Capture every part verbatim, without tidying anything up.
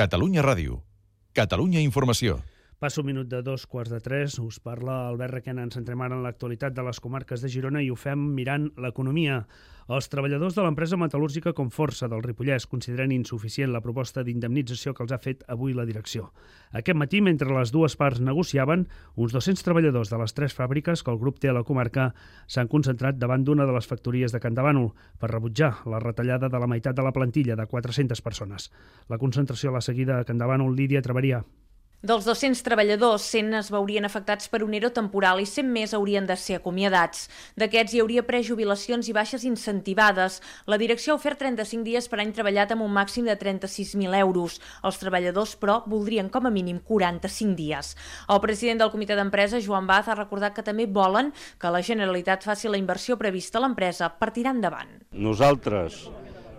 Catalunya Ràdio. Catalunya Informació. Passo un minut de dos quarts de tres, us parla Albert Requena. Ens centrem ara en l'actualitat de les comarques de Girona i ho fem mirant l'economia. Els treballadors de l'empresa metal·lúrgica Conforsa del Ripollès consideren insuficient la proposta d'indemnització que els ha fet avui la direcció. Aquest matí, mentre les dues parts negociaven, uns dos-cents treballadors de les tres fàbriques que el grup té a la comarca s'han concentrat davant d'una de les factories de Campdevànol per rebutjar la retallada de la meitat de la plantilla de quatre-centes persones. La concentració a la seguida a Campdevànol, Lídia Traveria. Dels dos-cents treballadors, cent es veurien afectats per un ERO temporal i cent més haurien de ser acomiadats. D'aquests hi hauria prejubilacions i baixes incentivades. La direcció ha ofert trenta-cinc dies per any treballat amb un màxim de trenta-sis mil euros. Els treballadors, però, voldrien com a mínim quaranta-cinc dies. El president del comitè d'empresa, Joan Baz, ha recordat que també volen que la Generalitat faci la inversió prevista a l'empresa per tirar endavant. Nosaltres,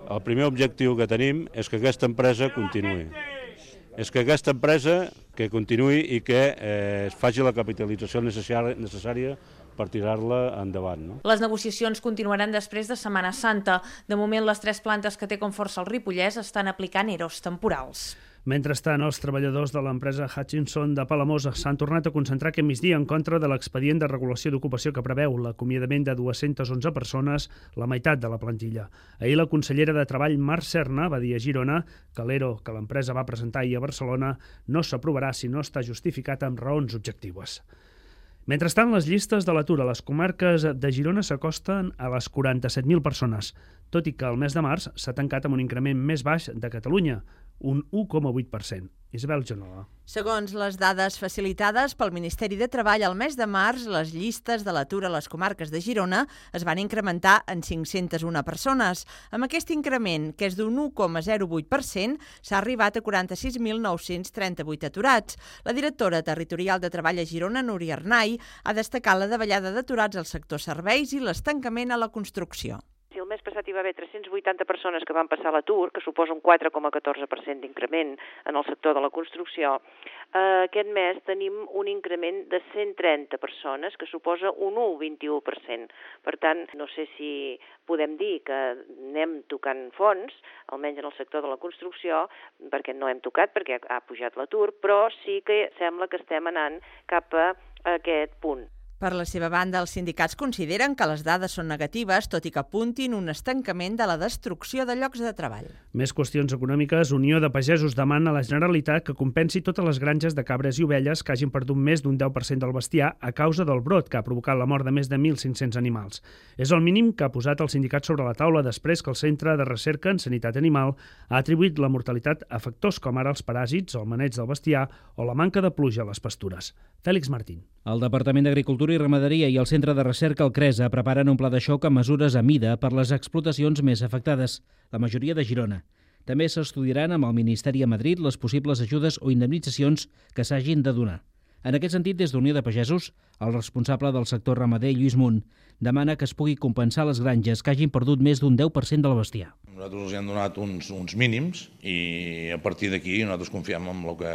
el primer objectiu que tenim és que aquesta empresa continuï. És que aquesta empresa que continuï i que eh, es faci la capitalització necessària per tirar-la endavant. No? Les negociacions continuaran després de Setmana Santa. De moment, les tres plantes que té Conforsa al Ripollès estan aplicant EROs temporals. Mentrestant, els treballadors de l'empresa Hutchinson de Palamós s'han tornat a concentrar aquest migdia en contra de l'expedient de regulació d'ocupació que preveu l'acomiadament de dues-centes onze persones, la meitat de la plantilla. Ahir la consellera de Treball, Mar Serna, va dir a Girona que l'ERO que l'empresa va presentar ahir a Barcelona no s'aprovarà si no està justificat amb raons objectives. Mentrestant, les llistes de l'atur a les comarques de Girona s'acosten a les quaranta-set mil persones, tot i que el mes de març s'ha tancat amb un increment més baix de Catalunya, un u coma vuit per cent. Isabel Genola. Segons les dades facilitades pel Ministeri de Treball, al mes de març, les llistes de l'atur a les comarques de Girona es van incrementar en cinc-centes una persones. Amb aquest increment, que és d'un u coma zero vuit per cent, s'ha arribat a quaranta-sis mil nou-cents trenta-vuit aturats. La directora territorial de Treball a Girona, Núria Arnay, ha destacat la davallada d'aturats al sector serveis i l'estancament a la construcció. Si el mes passat hi va haver tres-cents vuitanta persones que van passar a l'atur, que suposa un quatre coma catorze per cent d'increment en el sector de la construcció, eh, aquest mes tenim un increment de cent trenta persones, que suposa un u coma vint-i-u per cent. Per tant, no sé si podem dir que anem tocant fons, almenys en el sector de la construcció, perquè no hem tocat, perquè ha pujat l'atur, però sí que sembla que estem anant cap a aquest punt. Per la seva banda, els sindicats consideren que les dades són negatives, tot i que apuntin un estancament de la destrucció de llocs de treball. Més qüestions econòmiques. Unió de Pagesos demana a la Generalitat que compensi totes les granges de cabres i ovelles que hagin perdut més d'un deu per cent del bestiar a causa del brot que ha provocat la mort de més de mil cinc-cents animals. És el mínim que ha posat el sindicat sobre la taula després que el Centre de Recerca en Sanitat Animal ha atribuït la mortalitat a factors com ara els paràsits, el maneig del bestiar o la manca de pluja a les pastures. Fèlix Martín. El Departament d'Agricultura i Ramaderia i el Centre de Recerca, el CRESA, preparen un pla de xoc amb mesures a mida per les explotacions més afectades, la majoria de Girona. També s'estudiaran amb el Ministeri a Madrid les possibles ajudes o indemnitzacions que s'hagin de donar. En aquest sentit, des d'Unió de Pagesos, el responsable del sector ramader, Lluís Munt, demana que es pugui compensar les granges que hagin perdut més d'un deu per cent del bestiar. Nosaltres els hem donat uns, uns mínims i a partir d'aquí nosaltres confiem en el que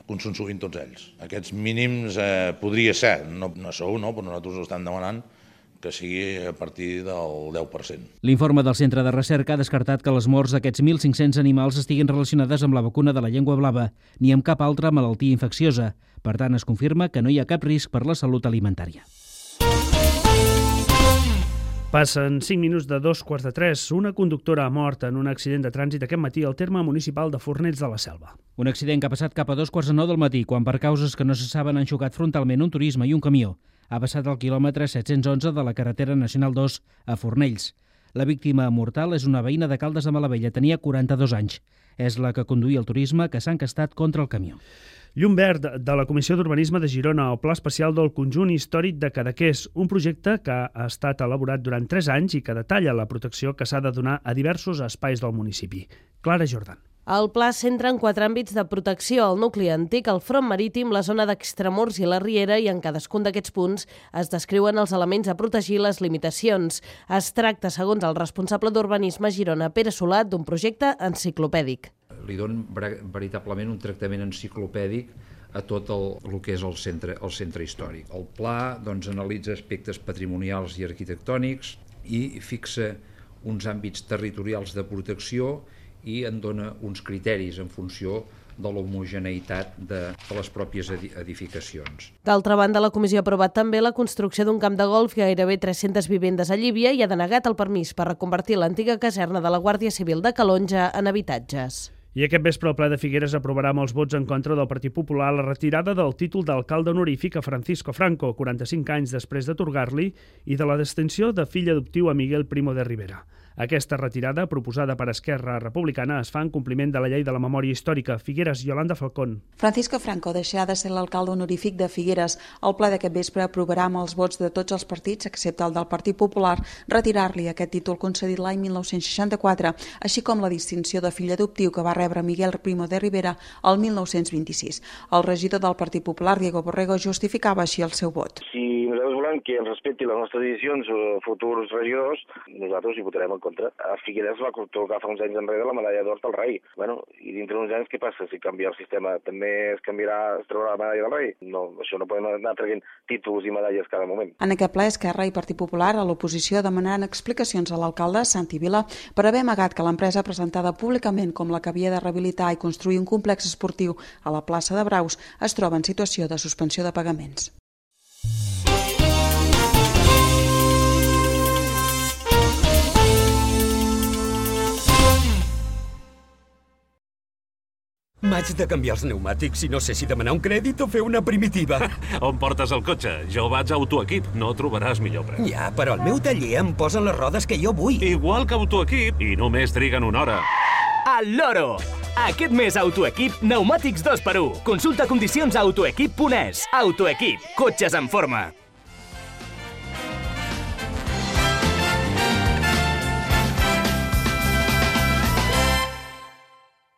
consensuïn tots ells. Aquests mínims eh, podria ser, no, no sou, no, però nosaltres ho estem demanant que sigui a partir del deu per cent. L'informe del Centre de Recerca ha descartat que les morts d'aquests mil cinc-cents animals estiguin relacionades amb la vacuna de la llengua blava ni amb cap altra malaltia infecciosa. Per tant, es confirma que no hi ha cap risc per la salut alimentària. Passen cinc minuts de dos quarts de tres. Una conductora ha mort en un accident de trànsit aquest matí al terme municipal de Fornells de la Selva. Un accident que ha passat cap a dos quarts de nou del matí, quan per causes que no se saben han xocat frontalment un turisme i un camió. Ha passat al quilòmetre set-cents onze de la carretera nacional dos a Fornells. La víctima mortal és una veïna de Caldes de Malavella, tenia quaranta-dos anys. És la que conduïa el turisme que s'ha encastat contra el camió. Llum verd de la Comissió d'Urbanisme de Girona al Pla Especial del Conjunt Històric de Cadaqués, un projecte que ha estat elaborat durant tres anys i que detalla la protecció que s'ha de donar a diversos espais del municipi. Clara Jordan. El pla centra en quatre àmbits de protecció: el nucli antic, el front marítim, la zona d'extramurs i la riera, i en cadascun d'aquests punts es descriuen els elements a protegir i les limitacions. Es tracta, segons el responsable d'Urbanisme a Girona, Pere Solat, d'un projecte enciclopèdic. Li donen veritablement un tractament enciclopèdic a tot el, el que és el centre, el centre històric. El pla doncs, analitza aspectes patrimonials i arquitectònics i fixa uns àmbits territorials de protecció i en dona uns criteris en funció de l'homogeneïtat de, de les pròpies edificacions. D'altra banda, la comissió ha aprovat també la construcció d'un camp de golf i gairebé tres-centes vivendes a Llívia i ha denegat el permís per reconvertir l'antiga caserna de la Guàrdia Civil de Calonja en habitatges. I aquest vespre el ple de Figueres aprovarà amb els vots en contra del Partit Popular la retirada del títol d'alcalde honorífic a Francisco Franco, quaranta-cinc anys després d'atorgar-li, i de la distinció de fill adoptiu a Miguel Primo de Rivera. Aquesta retirada, proposada per Esquerra Republicana, es fa en compliment de la llei de la memòria històrica. Figueres, Yolanda Falcón. Francisco Franco deixarà de ser l'alcalde honorífic de Figueres. El ple d'aquest vespre aprovarà amb els vots de tots els partits, excepte el del Partit Popular, retirar-li aquest títol concedit l'any mil nou-cents seixanta-quatre, així com la distinció de fill adoptiu que va rebre Miguel Primo de Rivera el mil nou-cents vint-i-sis. El regidor del Partit Popular, Diego Borrego, justificava així el seu vot. Si nosaltres volem que ens respecti les nostres decisions o futurs regidors, nosaltres hi votarem en contra. A Figueres va tocar fa uns anys enrere la medalla d'or del rei. Bueno, i dintre d'uns anys què passa? Si canvia el sistema també es canviarà, es trobarà la medalla del rei? No, això no podem anar traient títols i medalles cada moment. En aquest ple, Esquerra i Partit Popular a l'oposició demanaran explicacions a l'alcalde Santi Vila per haver amagat que l'empresa presentada públicament com la que havia de rehabilitar i construir un complex esportiu a la plaça de Braus es troba en situació de suspensió de pagaments. M'haig de canviar els pneumàtics i no sé si demanar un crèdit o fer una primitiva. On portes el cotxe? Jo vaig a Autoequip, no trobaràs millor preu. Ja, però al meu taller em posen les rodes que jo vull. Igual que Autoequip, i només triguen una hora. Al loro! Aquest mes Autoequip, pneumàtics dos per u. Consulta condicions a autoequip punt es. Autoequip, cotxes en forma.